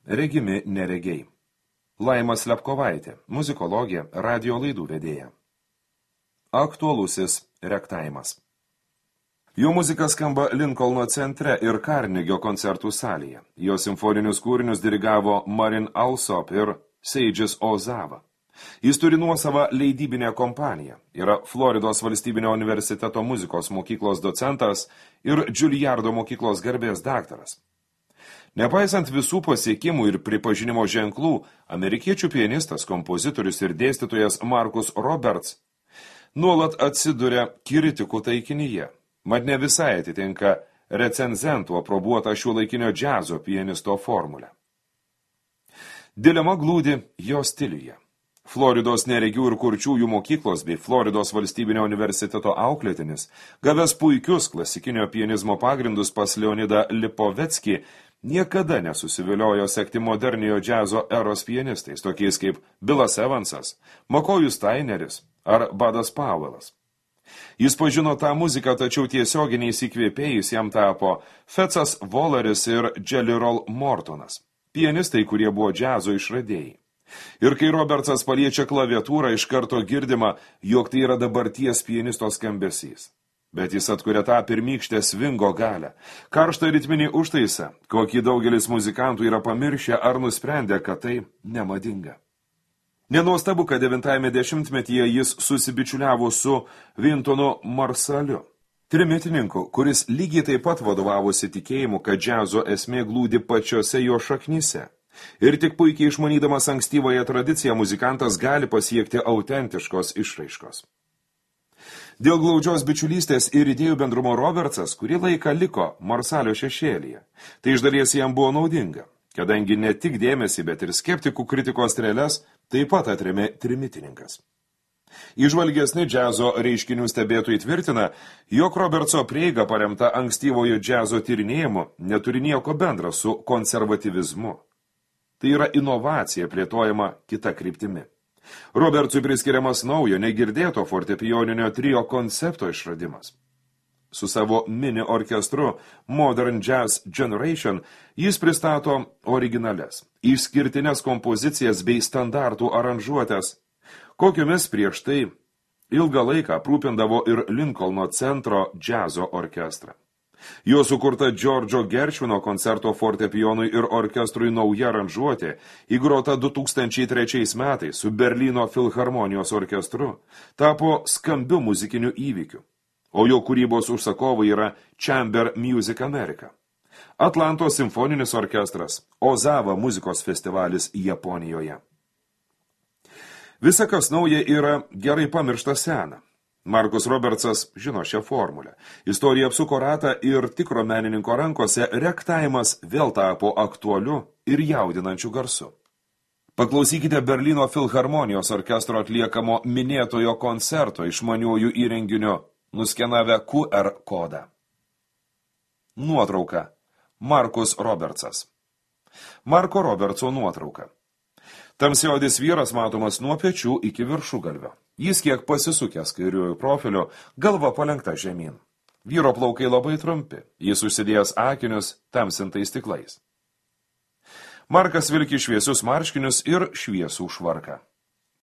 regimi neregiai. Laima Slepkovaitė, muzikologė, radio laidų vedėja. Aktualusis rektaimas. Jo muzika skamba Linkolno centre ir Karnegio koncertų salėje. Jo simfoninius kūrinius dirigavo Marin Alsop ir Seidžis Ozava. Jis turi nuosavą leidybinę kompaniją, yra Floridos valstybinio universiteto muzikos mokyklos docentas ir Džiulijardo mokyklos garbės daktaras. Nepaisant visų pasiekimų ir pripažinimo ženklų, amerikiečių pianistas, kompozitorius ir dėstytojas Markus Roberts nuolat atsiduria kritikų taikinyje, mat ne visai atitinka recenzentų aprobuotą šiuolaikinio džiazo pianisto formulę. Dilema glūdi jo stiliuje. Floridos neregių ir kurčiųjų mokyklos bei Floridos valstybinio universiteto auklėtinis, gavęs puikius klasikinio pianizmo pagrindus pas Leonidą Lipovetskį, niekada nesusiviliojo sekti moderniojo džiazo eros pianistais, tokiais kaip Billas Evansas, Makojus Staineris ar Budas Powellas. Jis pažino tą muziką, tačiau tiesioginiais įkvėpėjais jam tapo Fetzas Voleris ir Jelly Roll Mortonas, pianistai, kurie buvo džiazo išradėjai. Ir kai Robertsas paliečia klaviatūrą, iš karto girdima, jog tai yra dabarties pianisto skambesys. Bet jis atkuria tą pirmykštę svingo galę, karštą ritminį užtaisą, kokį daugelis muzikantų yra pamiršę ar nusprendę, kad tai nemadinga. Nenuostabu, kad 90-ame dešimtmetyje jis susibičiuliavo su Wintonu Marsaliu, trimitininku, kuris lygiai taip pat vadovavosi tikėjimu, kad džiazo esmė glūdi pačiose jo šaknyse. Ir tik puikiai išmanydamas ankstyvąją tradiciją muzikantas gali pasiekti autentiškos išraiškos. Dėl glaudžios bičiulystės ir idėjų bendrumo Robertsas kurį laiką liko Marsalio šešėlyje. Tai iš dalies jam buvo naudinga, kadangi ne tik dėmesį, bet ir skeptikų kritikos strėles taip pat atrėmė trimitininkas. Įžvalgesni džiazo reiškinių stebėtojai tvirtina, jog Robertso prieiga paremta ankstyvojo džiazo tyrinėjimu neturi nieko bendra su konservatyvizmu. Tai yra inovacija plėtojama kita kryptimi. Robertsui priskiriamas naujo, negirdėto fortepijoninio trio koncepto išradimas. Su savo mini orkestru Modern Jazz Generation jis pristato originales, išskirtines kompozicijas bei standartų aranžuotės, kokiomis prieš tai ilgą laiką aprūpindavo ir Lincolno centro džiazo orkestrą. Jo sukurta Džordžo Geršvino koncerto fortepijonui ir orkestrui nauja aranžuotė, įgrota 2003 metais su Berlyno filharmonijos orkestru, tapo skambiu muzikiniu įvykiu, o jo kūrybos užsakovai yra Chamber Music America, Atlantos simfoninis orkestras, Ozava muzikos festivalis Japonijoje. Visa, kas nauja, yra gerai pamiršta sena. Markus Robertsas žino šią formulę. Istorija apsuko ratą ir tikro menininko rankose rektaimas vėl tapo aktualiu ir jaudinančiu garsu. Paklausykite Berlyno filharmonijos orkestro atliekamo minėtojo koncerto išmaniųjų įrenginiu, nuskenavę QR kodą. Nuotrauka. Markus Robertsas. Marko Robertso nuotrauka. Tamsiaodis vyras matomas nuo pečių iki viršugalvio. Jis kiek pasisukęs kairiuoju profiliu, galva palenkta žemyn. Vyro plaukai labai trumpi, jis užsidėjęs akinius tamsintais stiklais. Markas vilki šviesius marškinius ir šviesų švarką.